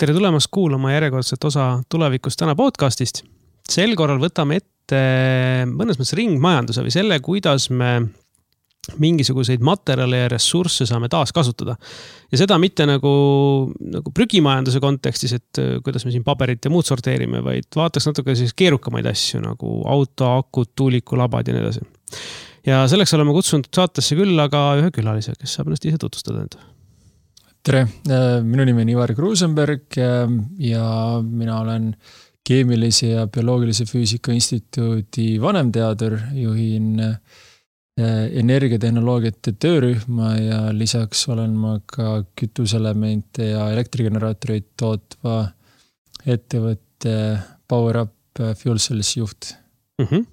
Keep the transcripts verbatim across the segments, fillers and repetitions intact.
Tere tulemast kuulama järjekordset osa Tulevikust täna podcastist. Sel korral võtame ette mõnes mõttes ringmajanduse või selle, kuidas me mingisuguseid materjale ja ressursse saame taas kasutada. Ja seda mitte nagu, nagu prügimajanduse kontekstis, et kuidas me siin paberit ja muud sorteerime, vaid vaataks natuke siis keerukamaid asju nagu auto, akud, tuulikulabad ja nii edasi. Ja selleks oleme kutsunud saatesse küll aga ühe külalise, kes saab ennast ise tutvustada enda. Tere, minu nimi on Ivar Kruusenberg ja mina olen keemilise ja bioloogilise füüsika instituudi vanemteadur, juhin energiatehnoloogiate töörühma ja lisaks olen ma ka kütuselemente ja elektrigeneraatoreid tootva ettevõtte PowerUp Fuel Cells juht. Mhm.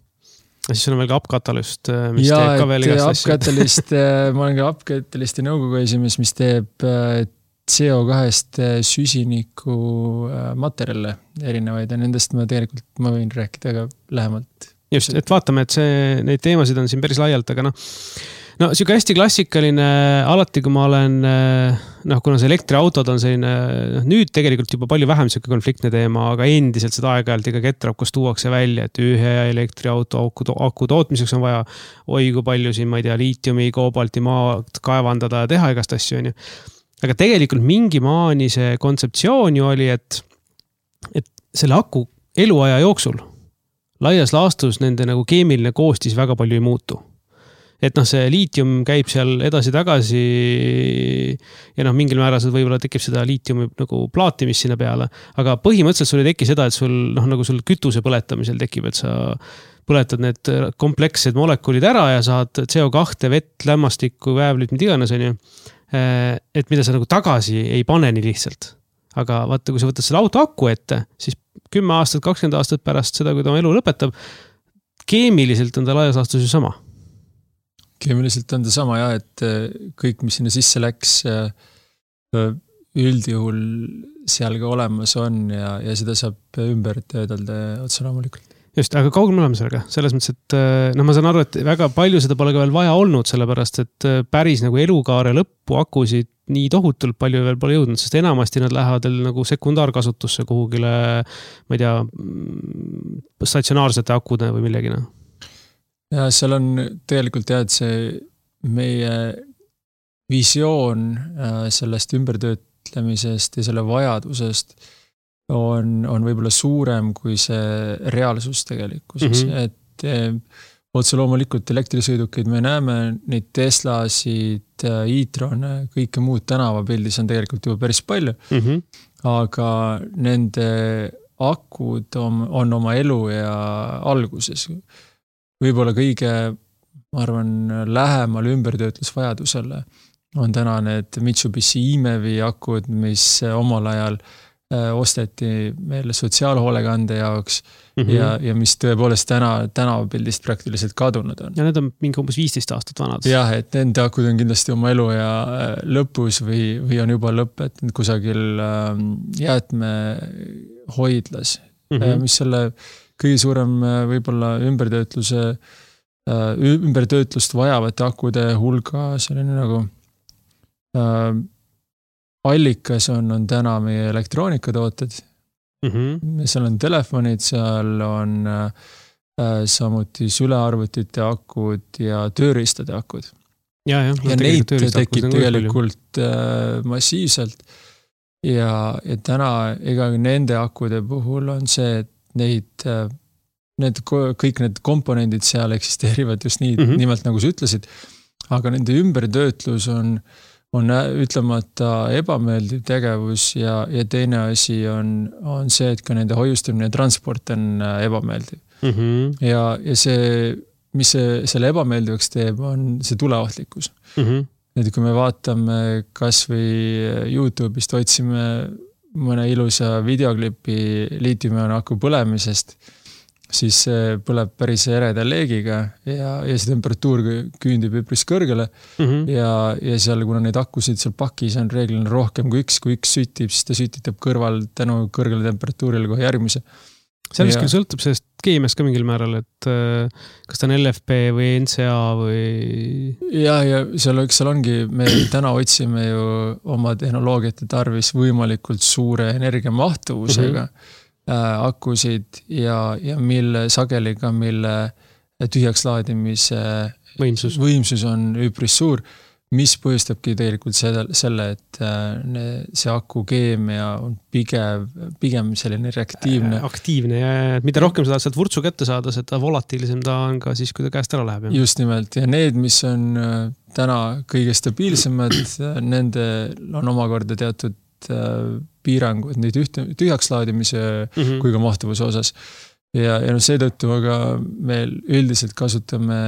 Ja siis on veel ka Up-Catalyst, mis ja, teeb ka veel igast asju. Up-Catalyst, ma olen ka Up-Catalysti nõukogu esimees, mis teeb C O kahest süsiniku materjale erinevaid ja nendest ma tegelikult ma võin rääkida ka lähemalt. Just, et vaatame, et see, neid teemasid on siin päris laialt, aga noh, no siuke hästi klassikaline, alati kui ma olen, noh, kuna see elektriautod on selline, noh, nüüd tegelikult juba palju vähem siuke konfliktne teema, aga endiselt seda aeg-ajalt iga ketrapkos tuuakse välja, et ühe elektriauto aku, aku tootmiseks on vaja oi kui palju siin, ma ei tea, liitiumi, koobalti maad kaevandada ja teha igast asju, on ju. Aga tegelikult mingi maani see kontseptsioon ju oli, et, et selle aku eluaja jooksul laias laastus nende nagu keemiline koostis väga palju ei muutu. Et noh, see liitium käib seal edasi-tagasi ja noh, mingil määral võib-olla tekib seda liitiumi nagu plaatimist sinna peale, aga põhimõtteliselt sul ei teki seda, et sul, noh, nagu sul kütuse põletamisel tekib, et sa põletad need komplekssed molekulid ära ja saad C O kahte, vett, lämmastikku, väävlit, mida iganes on ju. Et mida sa nagu tagasi ei pane nii lihtsalt. Aga vaata, kui sa võtad selle auto aku ette, siis kümme aastat, kakskümmend aastat pärast seda, kui ta elu lõpetab, keemiliselt on ta laias laastus ju sama. Keemiliselt on ta sama ja, et kõik, mis sinna sisse läks, üldjuhul seal ka olemas on ja, ja seda saab ümber töödelda otse loomulikult. Just, aga kaugel me oleme sellega? Selles mõttes, et no ma saan aru, et väga palju seda pole ka veel vaja olnud, sellepärast, et päris nagu elukaare lõppu akusid nii tohutult palju veel pole jõudnud, sest enamasti nad lähevad nagu sekundaarkasutusse kuhugile, ma ei tea, statsionaarsete akude või millegina. Ja seal on tegelikult jah, et see meie visioon sellest ümbertöötlemisest ja selle vajadusest on, on võib-olla suurem kui see reaalsus tegelikkuses, mm-hmm. et otse loomulikult elektrisõidukeid me näeme, neid Teslasid, e-trone, kõike muud tänavapildis on tegelikult juba päris palju, mm-hmm. aga nende akud on, on oma elu ja alguses. Võib-olla kõige, ma arvan, lähemal ümbertöötlusvajadusele on täna need Mitsubishi E-Mevi akud, mis omal ajal osteti meile sotsiaalhoolekande jaoks mm-hmm. ja, ja mis tõepoolest täna tänavapildist praktiliselt kadunud on. Ja need on mingi umbes viisteist aastat vanad. Jah, et nende akud on kindlasti oma elu ja lõpus või, või on juba lõpp, et kusagil jäätme hoidlas, mm-hmm. mis selle kõige suurem võib-olla ümbertöötluse, ümbertöötlust vajavate akude hulga selline nagu allikas on, on täna meie elektroonikatooted. Mm-hmm. Seal on telefonid, seal on äh, samuti sülearvutite akud ja tööriistade akud. Ja, ja, ja neid tekib tegelikult äh, massiivselt. Ja, ja täna ega nende akude puhul on see, et neid, äh, need, kõik need komponendid seal eksisteerivad just nii, mm-hmm. nimelt nagu sa ütlesid, aga nende ümbertöötlus on on ütlemata ebameeldiv tegevus ja, ja teine asi on, on see, et ka nende hoiustamine ja transport on ebameeldiv. Mm-hmm. Ja, ja see, mis see, selle ebameeldivaks teeb, on see tuleohtlikkus. Mm-hmm. Et kui me vaatame kas või YouTube'ist otsime mõne ilusa videoklipi liitiumioni aku põlemisest, siis see põleb päris ereda leegiga ja, ja see temperatuur küündib üpris kõrgele mm-hmm. ja, ja seal, kuna neid akusid seal pakis on reeglina rohkem kui üks, kui üks sütib, siis ta sütitab kõrval tänu kõrgele temperatuurile kohe järgmise. seal vist küll sõltub sellest keemiast ka mingil määral, et kas ta on L F P või N C A või... Ja, ja seal, seal ongi, me täna otsime ju oma tehnoloogiate tarvis võimalikult suure energiamahtuvusega mm-hmm. äh, akusid ja, ja mille sageliga, mille tühjaks laadimise võimsus, võimsus on üpris suur, mis põhjustabki tegelikult selle, selle, et see aku keemia on pigem, pigem selline reaktiivne. Aktiivne ja mida rohkem sa tahad sealt vurtsu kätte saada, seda volatiilisem ta on ka siis, kui ta käest ära läheb. Ja. Just nimelt. Ja need, mis on täna kõige stabiilsemad, nende on omakorda teatud piirangud neid ühte, tühjaks laadimise mm-hmm. kui ka mahtuvuse osas. Ja, ja no seetõttu aga me üldiselt kasutame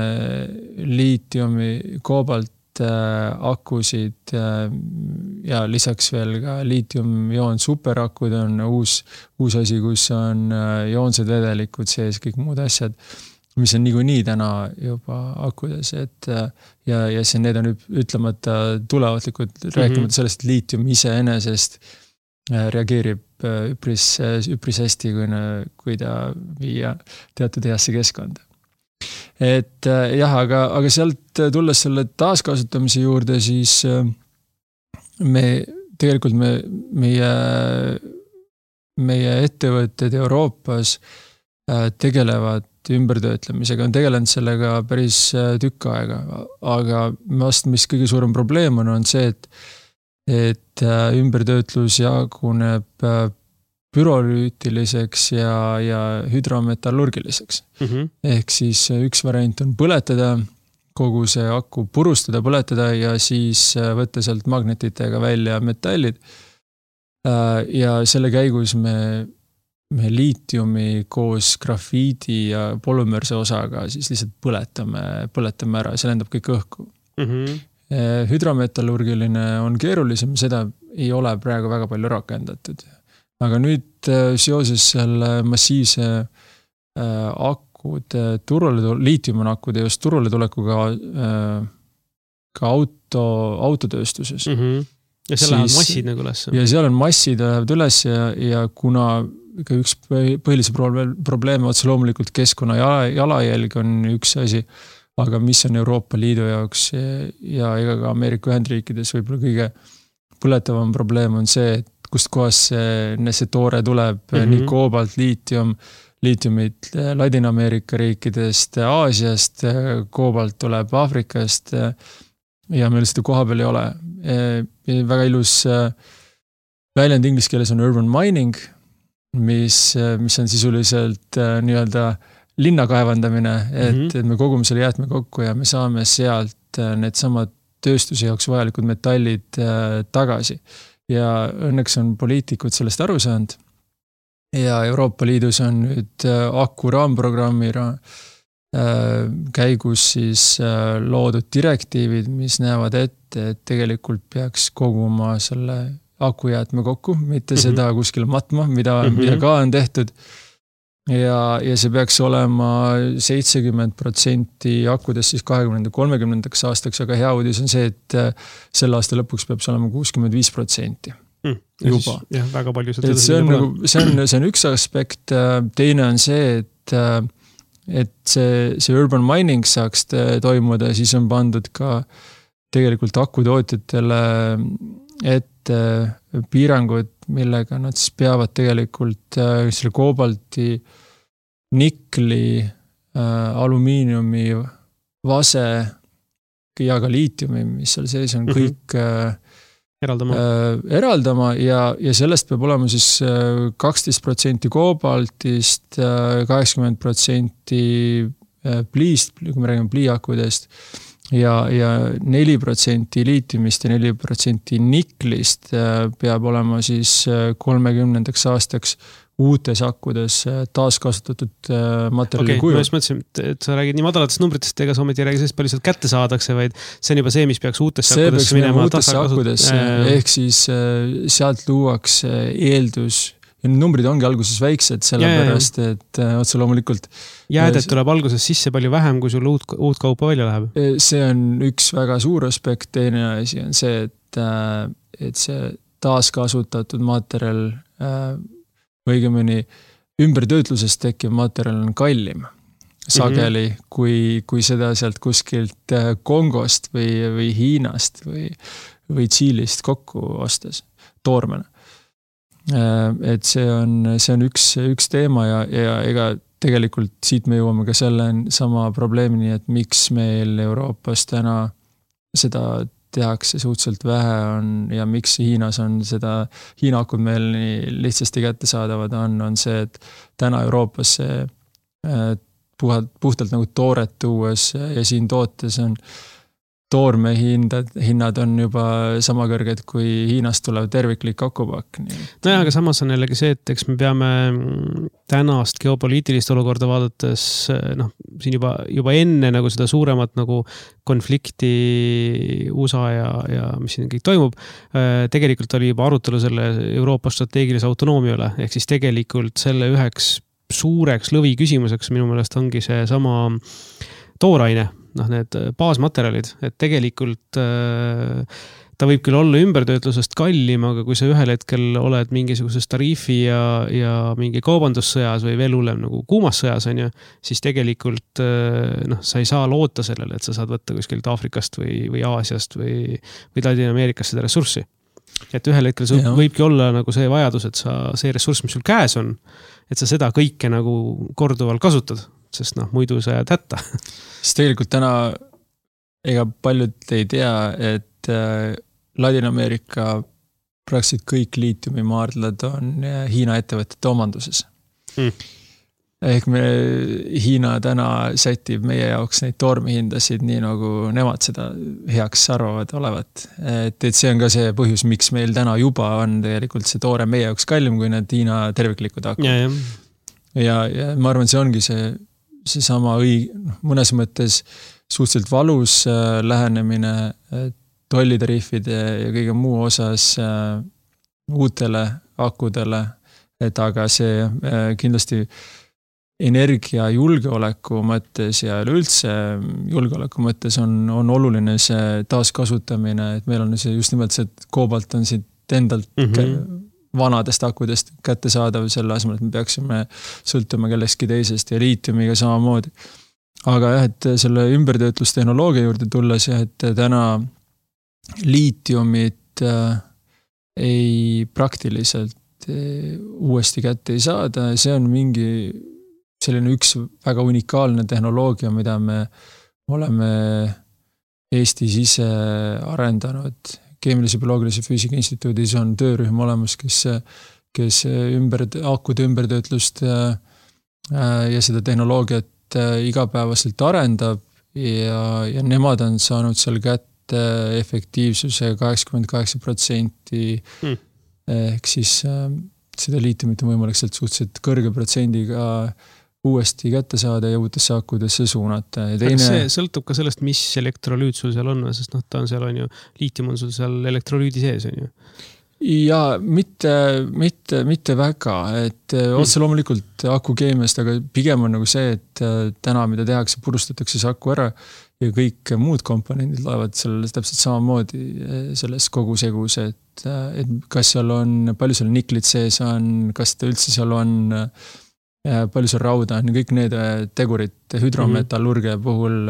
liitiumi, koobalt akusid ja lisaks veel ka liitium-joon superakud on uus, uus asi, kus on joonsed vedelikud sees, kõik muud asjad, mis on niikuinii täna juba akudes, et ja, ja see need on ütlemata tulevatlikud, mm-hmm. rääkimata sellest, et liitium ise enesest reageerib üpris, üpris hästi, kui, kui ta viia teatud heasse keskkonda. Et jah, aga, aga sealt tulles selle taaskasutamise juurde, siis me tegelikult me, meie, meie ettevõtted Euroopas tegelevad ümbertöötlemisega, on tegelenud sellega päris tükk aega, aga vast, mis kõige suurem probleem on, on see, et, et ümbertöötlus jaguneb pürolüütiliseks ja, ja hüdrometallurgiliseks. Mm-hmm. Ehk siis üks variant on põletada, kogu see aku purustada, põletada ja siis võtta sealt magnetitega välja metallid. Ja selle käigus me, me liitiumi koos grafiidi ja polümerse osaga siis lihtsalt põletame, põletame ära, see lendab kõik õhku. Mm-hmm. Hüdrometallurgiline on keerulisem, seda ei ole praegu väga palju rakendatud. Aga nüüd seoses selle massiivse akude turule, liitium on akude just turule tulekuga ka auto, autotööstuses. Mm-hmm. Ja seal lähevad massid nagu üles. Ja seal on massid lähevad üles ja, ja kuna üks põhilise probleeme otse loomulikult keskkonna jalajälg on üks asi, aga mis on Euroopa Liidu jaoks ja ega ka Ameerika Ühendriikides võib-olla kõige põletavam probleem on see, et kust kohas see, see toore tuleb mm-hmm. nii koobalt, liitium, liitiumit Ladina-Ameerika riikidest, Aasiast, koobalt tuleb Aafrikast ja meil seda koha peal ei ole. Väga ilus väljend inglise keeles on urban mining, mis, mis on sisuliselt nii-öelda linna kaevandamine, et, mm-hmm. et me kogume selle jäätme kokku ja me saame sealt need samad tööstuse jaoks vajalikud metallid tagasi. Ja õnneks on poliitikud sellest aru saanud. Ja Euroopa Liidus on nüüd aku raamprogrammi käigus siis loodud direktiivid, mis näevad ette, et tegelikult peaks koguma selle akujäätme kokku, mitte mm-hmm. seda kuskil matma, mida, mm-hmm. mida ka on tehtud. Ja, ja see peaks olema seitsekümmend protsenti akudest siis kahekümne kolmekümnendaks aastaks, aga hea uudis on see, et selle aasta lõpuks peab see olema kuuskümmend viis protsenti mm, juba. Jah, väga palju. See on, nagu, see, on, see on üks aspekt, teine on see, et, et see, see urban mining saaks toimuda, siis on pandud ka tegelikult akutootjatele ette piirangud, millega nad siis peavad tegelikult selle koobalti, nikli, alumiiniumi, vase ja ka liitiumi, mis seal sees on mm-hmm. kõik eraldama, eraldama ja, ja sellest peab olema siis kaksteist protsenti koobaltist, kaheksakümmend protsenti pliist, kui me räägime pliiakudest, ja, ja neli protsenti liitiumist ja neli protsenti niklist peab olema siis kolmekümnendaks aastaks uutes akkudes taaskasutatud materjali okay, kujul. Ma just mõtlesin, et sa räägid nii madalatest numbritest, ega sa ometi ei räägi sellest palju sealt kätte saadakse, vaid see on juba see, mis peaks uutesse see akkudesse minema. See peaks minema uutesse akkudesse, ehk siis sealt luuakse eeldus, ja need numbrid ongi alguses väiksed, sellepärast, et otse loomulikult jäädet tuleb alguses sisse palju vähem, kui sul uut, uut kaupa välja läheb. See on üks väga suur aspekt, teine asi on see, et, et see taaskasutatud materjal õigemini ümbertöötlusest tekkiv materjal on kallim sageli, mm -hmm. kui, kui seda sealt kuskilt Kongost või, või Hiinast või, või Tšiilist kokku ostes toormena. Et see on, see on üks, üks teema ja, ja ega tegelikult siit me jõuame ka selle sama probleemini, et miks meil Euroopas täna seda tehakse suhteliselt vähe on ja miks Hiinas on seda, Hiina akud meil nii lihtsasti kättesaadavad on, on see, et täna Euroopas see puhtalt, puhtalt nagu tooret tuues ja siin tootes on toorme hindad, hinnad on juba sama kõrged, kui Hiinast tulev terviklik akupakk. No aga samas on jällegi see, et eks me peame tänast geopoliitilist olukorda vaadates, noh, siin juba, juba enne nagu seda suuremat nagu konflikti U S A ja, ja mis siin kõik toimub, tegelikult oli juba arutelu selle Euroopa strateegilise autonoomia üle, ehk siis tegelikult selle üheks suureks lõvi küsimuseks minu meelest ongi see sama tooraine, noh, need baasmaterjalid, et tegelikult äh, ta võib küll olla ümbertöötlusest kallim, aga kui sa ühel hetkel oled mingisuguses tariifi ja, ja mingi kaubandussõjas või veel hullem nagu kuumas sõjas on ju, siis tegelikult äh, noh, sa ei saa loota sellele, et sa saad võtta kuskilt Aafrikast või, või Aasiast või, või Ladina-Ameerikast seda ressurssi. Et ühel hetkel sul võibki olla nagu see vajadus, et sa, see ressurss, mis sul käes on, et sa seda kõike nagu korduvalt kasutad, sest noh, muidu sa jääd hätta. Sest tegelikult täna ega paljud ei tea, et Ladina-Ameerika praktiliselt kõik liitiumimaardlad on Hiina ettevõtete omanduses. Mm. Ehk me, Hiina täna sätib meie jaoks neid toormehindasid nii nagu nemad seda heaks arvavad olevat. Et, et see on ka see põhjus, miks meil täna juba on tegelikult see toore meie jaoks kallim, kui need Hiina terviklikud hakkab. Ja, ja. Ja, ja ma arvan, see ongi see, see sama õig, mõnes mõttes suhteliselt valus äh, lähenemine äh, tollitariifide ja kõige muu osas äh, uutele akudele, et aga see äh, kindlasti energia julgeoleku mõttes ja üldse julgeoleku mõttes on, on oluline see taaskasutamine, et meil on see just nimelt see, et koobalt on siit endalt mm -hmm. vanadest akudest kätte saadav selle asemel, et me peaksime sõltuma kellestki teisest ja liitiumiga samamoodi. Aga jah, et selle ümbertöötlustehnoloogia juurde tulles jah, et täna liitiumit äh, ei praktiliselt äh, uuesti kätte ei saada, see on mingi selline üks väga unikaalne tehnoloogia, mida me oleme Eestis ise arendanud. Keemilise bioloogilise füüsika instituudis on töörühm olemas, kes, kes ümber, akude ümbertöötlust ja seda tehnoloogiat igapäevaselt arendab ja, ja nemad on saanud seal kätte efektiivsuse kaheksakümmend kaheksa protsenti hmm. ehk siis seda liitiumit on võimalik sealt suhteliselt kõrge protsendiga uuesti kätte saada ja uutesse akudesse suunata. Ja teine... see sõltub ka sellest, mis elektrolüüt sul seal on, sest noh, ta on seal, on ju, liitium on sul seal elektrolüüdi sees, on ju? Ja mitte, mitte, mitte väga, et mm. otse loomulikult aku keemiast, aga pigem on nagu see, et täna, mida tehakse, purustatakse see aku ära ja kõik muud komponendid laevad seal täpselt samamoodi selles kogusegus, et, et kas seal on, palju seal niklit sees on, kas ta üldse seal on palju seal rauda on, kõik need tegurid hüdrometallurgia puhul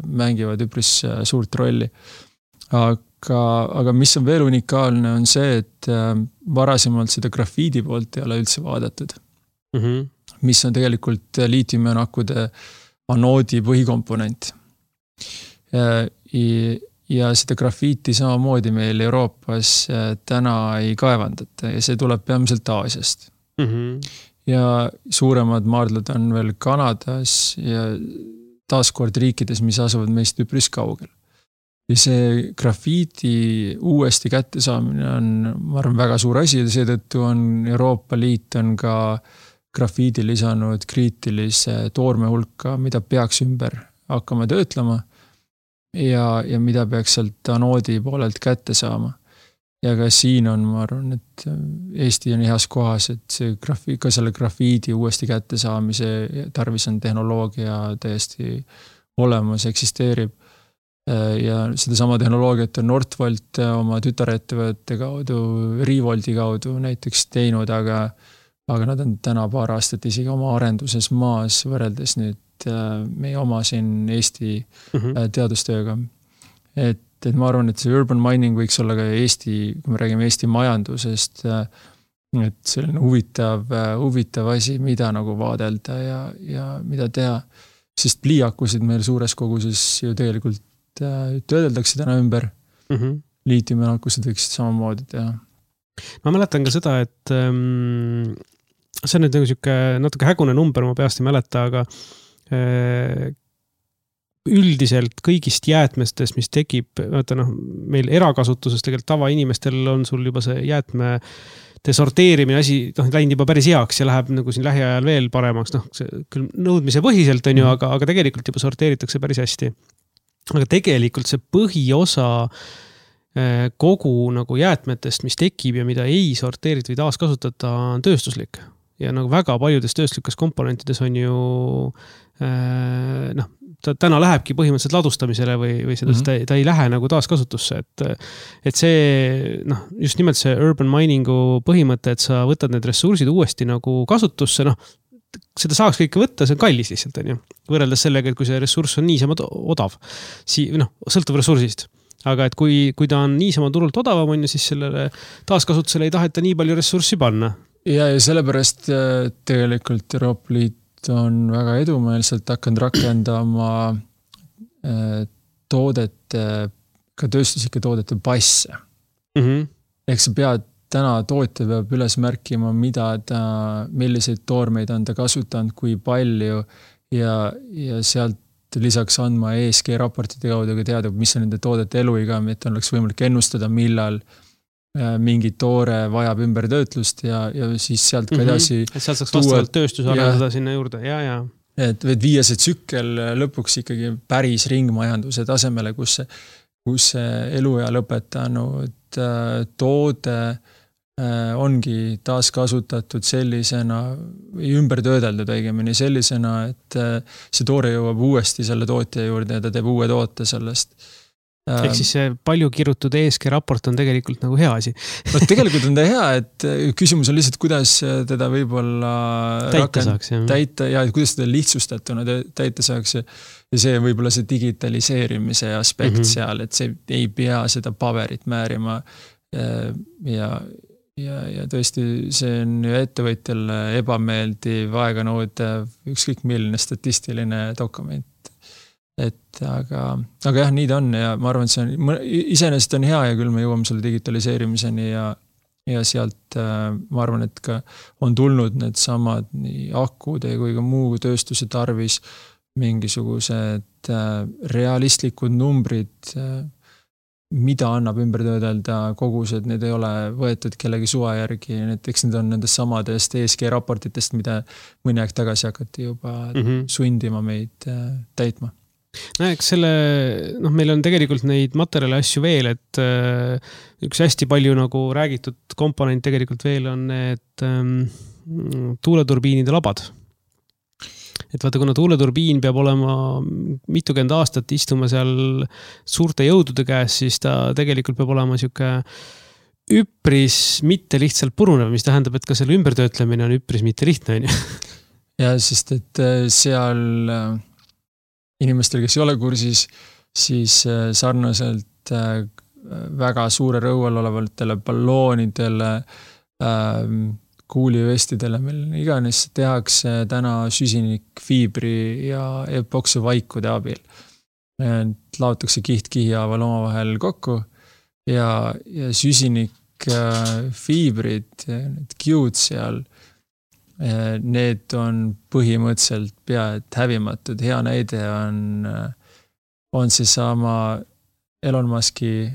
mängivad üpris suurt rolli. Aga, aga mis on veel unikaalne on see, et varasemalt seda grafiidi poolt ei ole üldse vaadatud. Mm-hmm. Mis on tegelikult liitiumionakude anoodi põhikomponent. Ja, ja seda grafiiti samamoodi meil Euroopas täna ei kaevandata ja see tuleb peamiselt Aasiast. Mm-hmm. Ja suuremad maardlad on veel Kanadas ja taaskord riikides, mis asuvad meist üpris kaugel. Ja see grafiiti uuesti kätte saamine on, ma arvan, väga suur asi ja seetõttu on Euroopa Liit on ka grafiidi lisanud kriitilise toorme hulka, mida peaks ümber hakkama töötlema ja, ja mida peaks sealt anoodi poolelt kätte saama. Ja ka siin on, ma arvan, et Eesti on heas kohas, et see grafi, ka selle grafiidi uuesti kätte saamise tarvis on tehnoloogia täiesti olemas, eksisteerib. Ja seda sama tehnoloogiat on Northvolt oma tütarettevõtte kaudu, Revolti kaudu näiteks teinud, aga, aga nad on täna paar aastat isegi oma arenduses maas võrreldes nüüd meie oma siin Eesti mm-hmm. teadustööga. Et, et ma arvan, et see urban mining võiks olla ka Eesti, kui me räägime Eesti majandusest, et selline huvitav, huvitav asi, mida nagu vaadelda ja, ja mida teha. Sest pliiakusid meil suures koguses ju tegelikult töödeldakse täna ümber. Mm-hmm. Liitiumiakusid võiksid samamoodi teha. Ma mäletan ka seda, et ähm, see on nüüd nagu siuke natuke hägune number, ma peast ei mäleta, aga äh, üldiselt kõigist jäätmestest, mis tekib, vaata noh, meil erakasutuses tegelikult tavainimestel on sul juba see jäätme sorteerimine asi, noh, läinud juba päris heaks ja läheb nagu siin lähiajal veel paremaks, noh, küll nõudmise põhiselt on ju, aga, aga tegelikult juba sorteeritakse päris hästi. Aga tegelikult see põhiosa kogu nagu jäätmetest, mis tekib ja mida ei sorteerita või taaskasutata, on tööstuslik. Ja nagu väga paljudes tööstuslikes komponentides on ju noh, ta täna lähebki põhimõtteliselt ladustamisele või, või seda, mm-hmm. ta, ta ei lähe nagu taaskasutusse, et, et see, noh, just nimelt see urban miningu põhimõte, et sa võtad need ressursid uuesti nagu kasutusse, noh, seda saaks kõike võtta, see on kallis lihtsalt, on ju. Võrreldes sellega, et kui see ressurss on niisama odav, si, noh, sõltub ressursist. Aga et kui, kui ta on niisama turult odavam, on ju, siis sellele taaskasutusele ei taheta nii palju ressurssi panna. Ja, ja sellepärast tegelikult Euroopa Liit on väga edumeelselt hakanud rakendama toodete, ka tööstuslike toodete passe. Mm-hmm. Ehk sa pead täna tootja peab üles märkima, mida ta, milliseid toormeid on ta kasutanud, kui palju ja, ja sealt lisaks andma E S G raportite kaudu ka teada, mis on nende toodete eluiga, et on oleks võimalik ennustada, millal mingi toore vajab ümbertöötlust ja, ja siis sealt ka edasi mm-hmm. et sealt saaks vastavalt tööstuse arendada sinna juurde, ja, ja. Et võid viia see tsükkel lõpuks ikkagi päris ringmajanduse tasemele, kus see, kus see eluea lõpetanud toode ongi taaskasutatud sellisena, ümber töödeldud õigemini sellisena, et see toore jõuab uuesti selle tootja juurde ja ta teeb uue toote sellest. Ehk siis see palju kirutud E S G raport on tegelikult nagu hea asi. No, tegelikult on ta hea, et küsimus on lihtsalt, kuidas teda võib-olla täita rakend, saaks. Jah. Täita ja kuidas teda lihtsustatuna täita saaks. Ja see võib-olla see digitaliseerimise aspekt mm-hmm. seal, et see ei pea seda paberit määrima ja, ja, ja tõesti see on ju ettevõtjale ebameeldiv, aeganõudev, ükskõik milline statistiline dokument. Et aga, aga jah, nii ta on ja ma arvan, et see on, iseenesest on hea ja küll me jõuame selle digitaliseerimiseni ja, ja sealt ma arvan, et ka on tulnud need samad nii akude kui ka muu tööstuse tarvis mingisugused realistlikud numbrid, mida annab ümber töödelda kogused, need ei ole võetud kellegi suva järgi, näiteks need on nendest samadest E S G raportitest, mida mõni aeg tagasi hakati juba mm-hmm. sundima meid täitma. No, eks selle, noh, meil on tegelikult neid materjale asju veel, et äh, üks hästi palju nagu räägitud komponent tegelikult veel on need ähm, tuuleturbiinide labad. Et vaata, kuna tuuleturbiin peab olema mitukümmend aastat istuma seal suurte jõudude käes, siis ta tegelikult peab olema siuke üpris mitte lihtsalt purunev, mis tähendab, et ka selle ümbertöötlemine on üpris mitte lihtne. Ja, sest et seal inimestel, kes ei ole kursis, siis sarnaselt väga suure rõual olevatele balloonidele, kuulivestidele, meil iganes tehakse täna süsinikfiibri ja epoksivaikude abil. Laotakse kiht-kihjaaval omavahel kokku ja, ja süsinikfiibrid, need kiud seal, need on põhimõtteliselt pea et hävimatud. Hea näide on, on see sama Elon Muski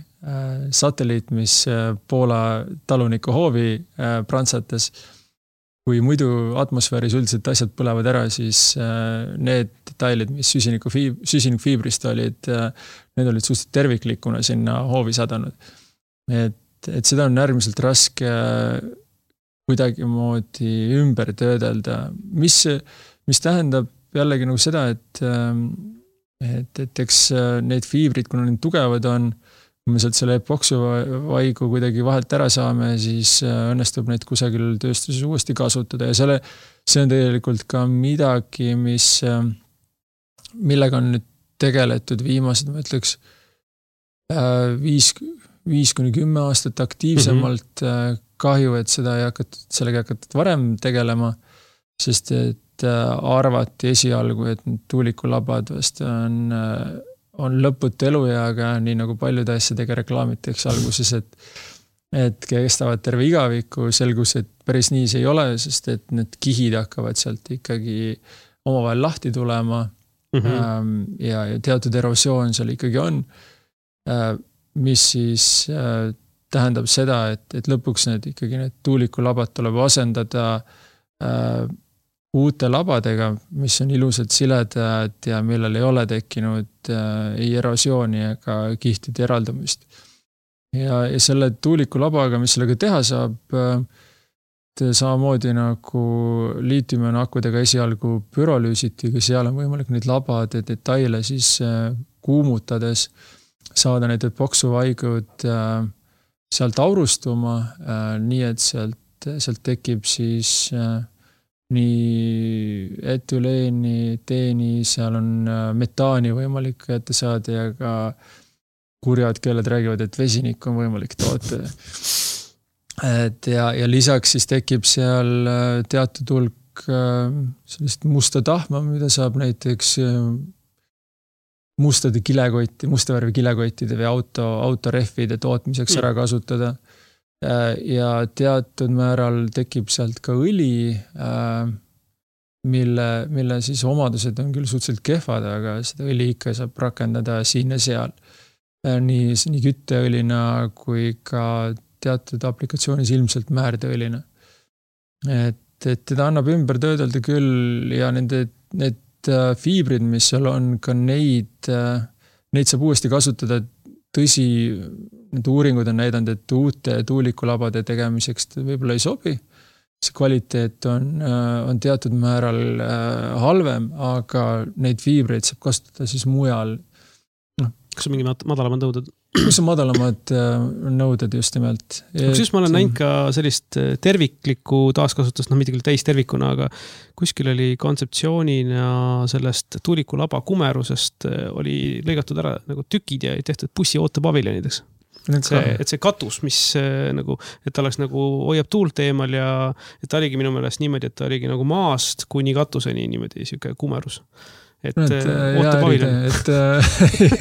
satelliit, mis Poola taluniku hoovi prantsates. Kui muidu atmosfääris üldiselt asjad põlevad ära, siis need detailid, mis süsinikfiibrist olid, need olid suhteliselt terviklikuna sinna hoovi sadanud. Et, et seda on äärmiselt raske kuidagi moodi ümber töödelda, mis, mis tähendab jällegi nagu seda, et, et, et eks need fiibrid, kuna need tugevad on, kui me sealt selle epoksuvaigu kuidagi vahelt ära saame, siis õnnestub neid kusagil tööstuses uuesti kasutada ja selle, see on tegelikult ka midagi, mis, millega on nüüd tegeletud viimased, ma ütleks, viis, viis kuni kümme aastat aktiivsemalt mm-hmm. kahju, et seda ei hakatud, sellega hakatud varem tegelema, sest et arvati esialgu, et tuulikulabad vast on on lõputu elueaga, nii nagu paljude asjadega reklaamitakse alguses, et, et kestavad terve igaviku, selgus, et päris nii see ei ole, sest et need kihid hakkavad sealt ikkagi omavahel lahti tulema mm-hmm. ja, ja teatud erosioon seal ikkagi on, mis siis tähendab seda, et, et lõpuks need ikkagi need tuulikulabad tuleb asendada uute labadega, mis on ilusad siledad ja millel ei ole tekkinud äh, ei erosiooni ega kihtide eraldumist. Ja, ja selle tuulikulabaga, mis sellega teha saab, äh, samamoodi nagu liitiumioni akudega esialgu pürolüüsitiga, seal on võimalik neid labade detaile siis äh, kuumutades saada need epoksuvaigud äh, sealt aurustuma, äh, nii et sealt, sealt tekib siis äh, nii etüleeni, teeni, seal on metaani võimalik ette saada ja ka kurjad keeled räägivad, et vesinik on võimalik toota. Et ja, ja lisaks siis tekib seal teatud hulk sellist musta tahma, mida saab näiteks mustade kilekotti, musta värvi kilekottide või auto, autorehvide tootmiseks ära kasutada. Ja teatud määral tekib sealt ka õli, mille, mille siis omadused on küll suhteliselt kehvad, aga seda õli ikka saab rakendada siin ja seal. Nii, nii kütteõlina kui ka teatud aplikatsioonis ilmselt määrdeõlina. Et, et teda annab ümber töödelda küll ja nende, need fiibrid, mis seal on, ka neid, neid saab uuesti kasutada. Tõsi, need uuringud on näidanud, et uute tuulikulabade tegemiseks võib-olla ei sobi. See kvaliteet on, on teatud määral halvem, aga neid fiibreid saab kasutada siis mujal. No. Kas on mingi madalamad nõuded? Kus on madalamad nõuded just nimelt? Siis ma olen näinud ka sellist terviklikku taaskasutust, noh mitte küll täis tervikuna, aga kuskil oli kontseptsioonina sellest tuulikulaba kumerusest oli lõigatud ära nagu tükid ja tehtud bussi ootepaviljonideks. Et see, et see katus, mis nagu, et ta oleks nagu hoiab tuult eemal ja et ta oligi minu meelest niimoodi, et ta oligi nagu maast kuni katuseni niimoodi siuke kumerus. Et, et, ootepaviljon. Et äh,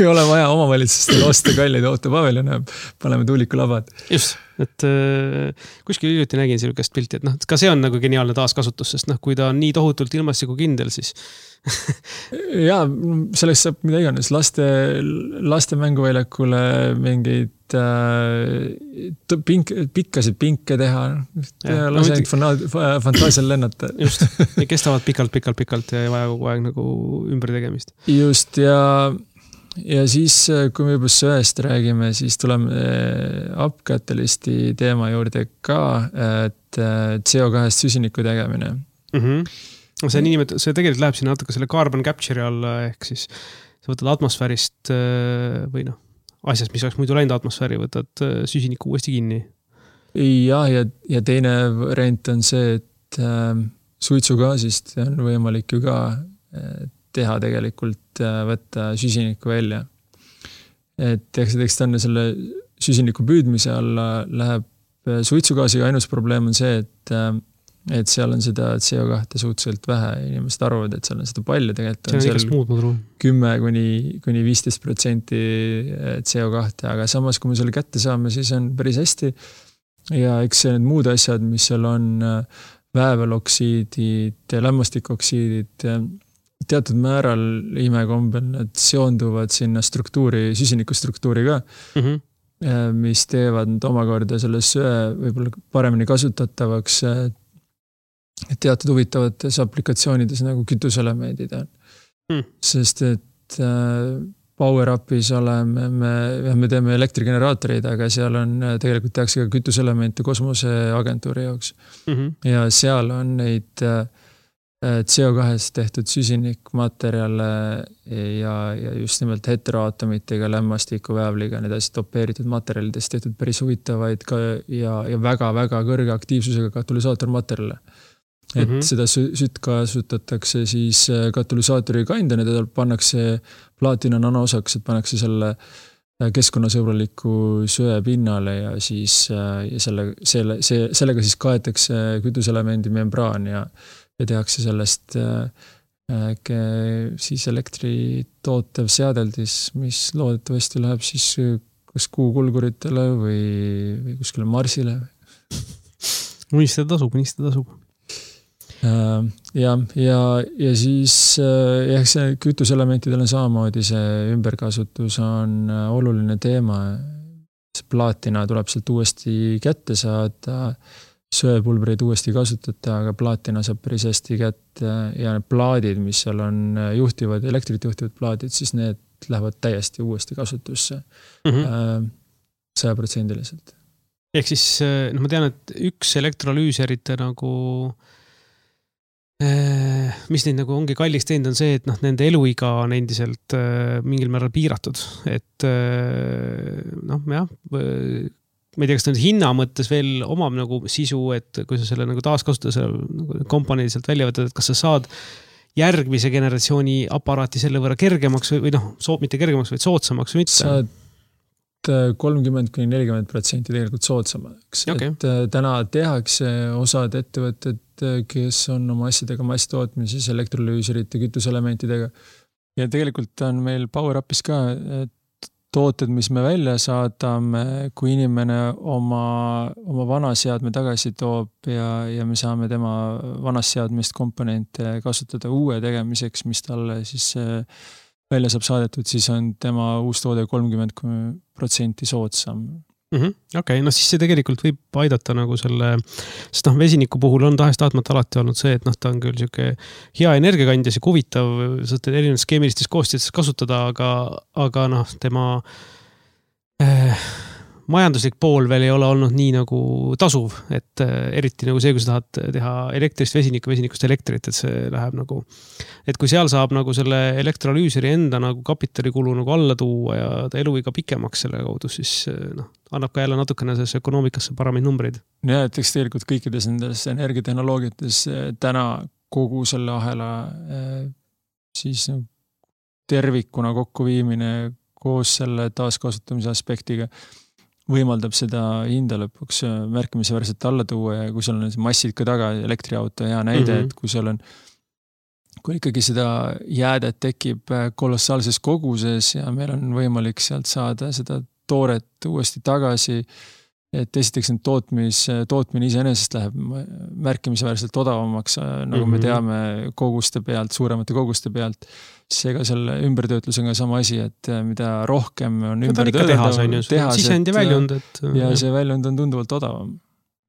ei ole vaja omavalitsustel osta kalleid ootepaviljone, paneme tuulikulabad. Just, et äh, kuskil hiljuti nägin sellist pilti, et noh, ka see on nagu geniaalne taaskasutus, sest noh, kui ta on nii tohutult ilmastiku kindel, siis ja, selleks saab mida iganes, laste, laste mänguväljakule mingeid äh, pink, pikkasid pinke teha, ja, lase ainult fana, fantaasial lennata. Just, ja kestavad pikalt, pikalt, pikalt ja ei vaja kogu aeg nagu ümber tegemist. Just, ja, ja siis, kui me juba söest räägime, siis tuleme upcatalysti teema juurde ka, et C O kahest süsiniku tegemine. Mhm. See, niimet, see tegelikult läheb sinna natuke selle carbon capture alla, ehk siis sa võtad atmosfäärist või noh, asjast, mis oleks muidu läinud atmosfääri, võtad süsiniku uuesti kinni. Ja, ja, ja teine variant on see, et äh, suitsugaasist on võimalik ju ka teha tegelikult äh, võtta süsiniku välja. Et eks ta on selle süsiniku püüdmise alla läheb suitsugaasiga, ainus probleem on see, et äh, et seal on seda C O kahte suhteliselt vähe, inimesed arvavad, et seal on seda palju, tegelikult on seal kümme kuni viisteist protsenti C O kahte, aga samas, kui me selle kätte saame, siis on päris hästi ja eks need muud asjad, mis seal on vääveloksiidid, lämmastikoksiidid, teatud määral imekombel nad seonduvad sinna struktuuri, süsinikustruktuuri ka, mm-hmm. mis teevad omakorda selle söe võib-olla paremini kasutatavaks teatud huvitavates aplikatsioonides nagu kütuselemendid on. Hmm. Sest et äh, Power-Upis oleme, me, me teeme elektrigeneraatoreid, aga seal on tegelikult tehakse ka kütuselemente kosmoseagentuuri jaoks. Mm-hmm. Ja seal on neid äh, C O kahest tehtud süsinikmaterjale ja, ja just nimelt heteroatomitega, lämmastikuväävliga, need asjad dopeeritud materjalidest tehtud päris huvitavaid ka ja, ja väga-väga kõrge aktiivsusega katalüsaatormaterjale. Et mm -hmm. seda sütt kasutatakse siis katalüsaatori kandjana, teda pannakse plaatina nanoosaks, et pannakse selle keskkonnasõbraliku söe pinnale ja siis ja selle, selle, see, sellega siis kaetakse kütuselemendi membraan ja ja tehakse sellest äh, siis elektri tootev seadeldis, mis loodetavasti läheb siis kas kuukulguritele või, või kuskile Marsile. Unistada tasub, unistada tasub. Äh, ja, ja, ja siis jah, see kütuselementidel on samamoodi, see ümberkasutus on oluline teema. See plaatina tuleb sealt uuesti kätte saada, söepulbreid uuesti kasutada, aga plaatina saab päris hästi kätte ja need plaadid, mis seal on juhtivad, elektrit juhtivad plaadid, siis need lähevad täiesti uuesti kasutusse sajaprotsendiliselt. Ehk siis, no ma tean, et üks elektrolüüserite nagu, mis neid nagu ongi kallis teinud, on see, et noh, nende eluiga on endiselt mingil määral piiratud, et noh, jah, ma ei tea, kas ta nüüd hinna mõttes veel omab nagu sisu, et kui sa selle nagu taaskasutada selle nagu komponendi sealt välja võtad, et kas sa saad järgmise generatsiooni aparaati selle võrra kergemaks või, või noh, soot, mitte kergemaks, vaid soodsamaks või mitte? Saad kolmkümmend kuni nelikümmend protsenti tegelikult soodsamaks. Okay. Et täna tehakse osad ettevõtted, kes on oma asjadega masstootmises, elektrolüüserite, kütuselementidega. Ja tegelikult on meil PowerUpis ka, et tooted, mis me välja saadame, kui inimene oma, oma vana seadme tagasi toob ja, ja me saame tema vanast seadmist komponente kasutada uue tegemiseks, mis talle siis välja saab saadetud, siis on tema uus toode kolmkümmend protsenti soodsam. Mm-hmm. Okei, okay, no siis see tegelikult võib aidata nagu selle, sest noh, vesiniku puhul on tahest tahtmata alati olnud see, et noh, ta on küll siuke hea energiakandja, siuke huvitav, saate erinevates keemilistes koostistes kasutada, aga, aga noh, tema eh, majanduslik pool veel ei ole olnud nii nagu tasuv, et eh, eriti nagu see, kui sa tahad teha elektrist vesinikku, vesinikust elektrit, et see läheb nagu, et kui seal saab nagu selle elektrolüüseri enda nagu kapitalikulu nagu alla tuua ja ta eluiga pikemaks selle kaudu, siis noh, annab ka jälle natukene selles ökonoomikasse paremaid numbreid. Ja, et eks tegelikult kõikides nendes energiatehnoloogiates täna kogu selle ahela siis tervikuna kokkuviimine koos selle taaskasutamise aspektiga võimaldab seda hinda lõpuks märkimisväärselt alla tuua ja kui seal on massid ka taga, elektriauto hea näide, mm-hmm. et kui seal on kui ikkagi seda jäädet tekib kolossaalses koguses ja meil on võimalik sealt saada seda tooret uuesti tagasi, et esiteks need tootmis, tootmine iseenesest läheb märkimisväärselt odavamaks, nagu mm-hmm. me teame koguste pealt, suuremate koguste pealt. Seega selle ümbertöötlusega sama asi, et mida rohkem on no, ümber töötada, sisend ja väljund. Et, ja see väljund on tunduvalt odavam.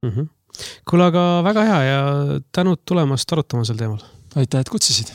Mm-hmm. Kuule, aga väga hea ja tänud tulemast arutama sel teemal. Aitäh, et kutsusid.